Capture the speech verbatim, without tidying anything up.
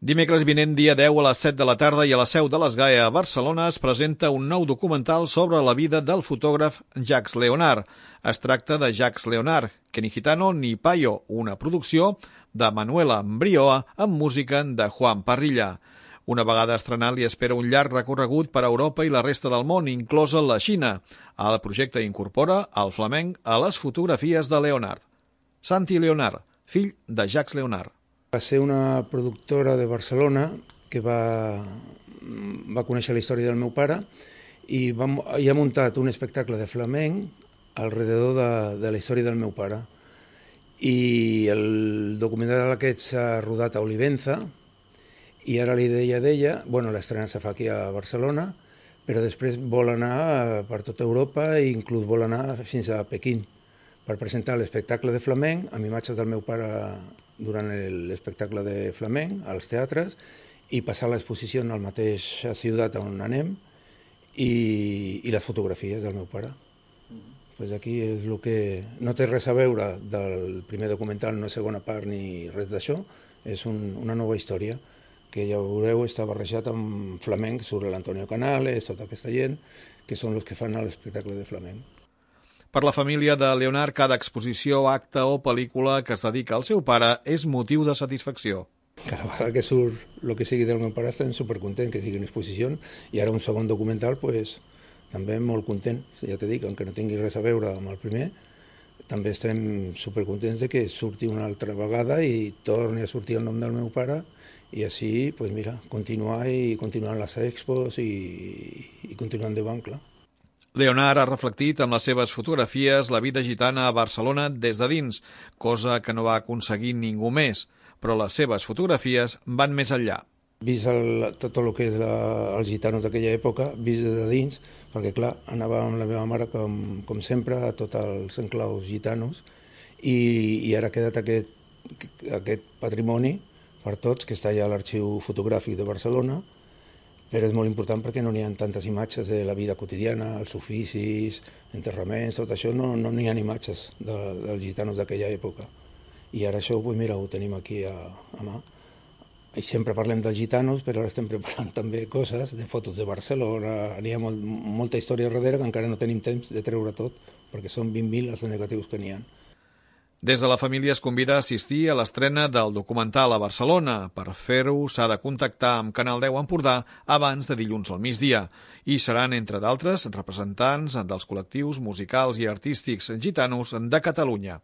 Dimecres vinent, dia deu, a les set de la tarda i a la seu de l'Esgae a Barcelona es presenta un nou documental sobre la vida del fotògraf Jacques Leonard. Es tracta de Jacques Leonard, que ni gitano ni payo, una producció de Manuela Mbrioa amb música de Juan Parrilla. Una vegada estrenat li espera un llarg recorregut per Europa i la resta del món, inclosa la Xina. El projecte incorpora el flamenc a les fotografies de Leonard. Santi Leonard, fill de Jacques Leonard. Va ser una productora de Barcelona que va, va conèixer la història del meu pare i, va, i ha muntat un espectacle de flamenc alrededor de, de la història del meu pare. I el documental aquest s'ha rodat a Olivenza i ara la idea d'ella, bueno, l'estrena se fa aquí a Barcelona, però després vol anar per tota Europa i inclús vol anar fins a Pequín per presentar l'espectacle de flamenc amb imatges del meu pare durant l'espectacle de flamenc als teatres i passar l'exposició en la mateixa ciutat on anem i, i les fotografies del meu pare. Mm-hmm. Pues aquí és el que no té res a veure del primer documental, no és segona part ni res d'això, és un, una nova història que ja veureu està barrejat amb flamenc sobre l'Antonio Canales, tota aquesta gent, que són els que fan l'espectacle de flamenc. Per la família de Leonard, cada exposició, acte o pel·lícula que es dedica al seu pare és motiu de satisfacció. Cada vegada que surt el que sigui del meu pare estem supercontent que sigui una exposició i ara un segon documental, pues, també molt content. Ja t'he dit, encara no tingui res a veure amb el primer, també estem supercontents de que surti una altra vegada i torni a sortir el nom del meu pare i així, pues, mira, continuar i continuar les expos i, i continuar endavant, clar. Leonard ha reflectit amb les seves fotografies la vida gitana a Barcelona des de dins, cosa que no va aconseguir ningú més, però les seves fotografies van més enllà. Vist el, tot el que és la, els gitanos d'aquella època, vist des de dins, perquè clar, anava amb la meva mare com, com sempre a tots els enclaus gitanos i, i ara ha quedat aquest, aquest patrimoni per tots, que està allà a l'arxiu fotogràfic de Barcelona, però és molt important perquè no n'hi ha tantes imatges de la vida quotidiana, els oficis, enterraments, tot això, no n'hi no ha imatges de, dels gitanos d'aquella època. I ara això, pues mira, ho tenim aquí a, a mà. I sempre parlem dels gitanos, però ara estem preparant també coses de fotos de Barcelona, n'hi ha molt, molta història darrere que encara no tenim temps de treure tot, perquè són vint mil els negatius que n'hi ha. Des de la família es convida a assistir a l'estrena del documental a Barcelona. Per fer-ho s'ha de contactar amb Canal deu Empordà abans de dilluns al migdia. I seran, entre d'altres, representants dels col·lectius musicals i artístics gitanos de Catalunya.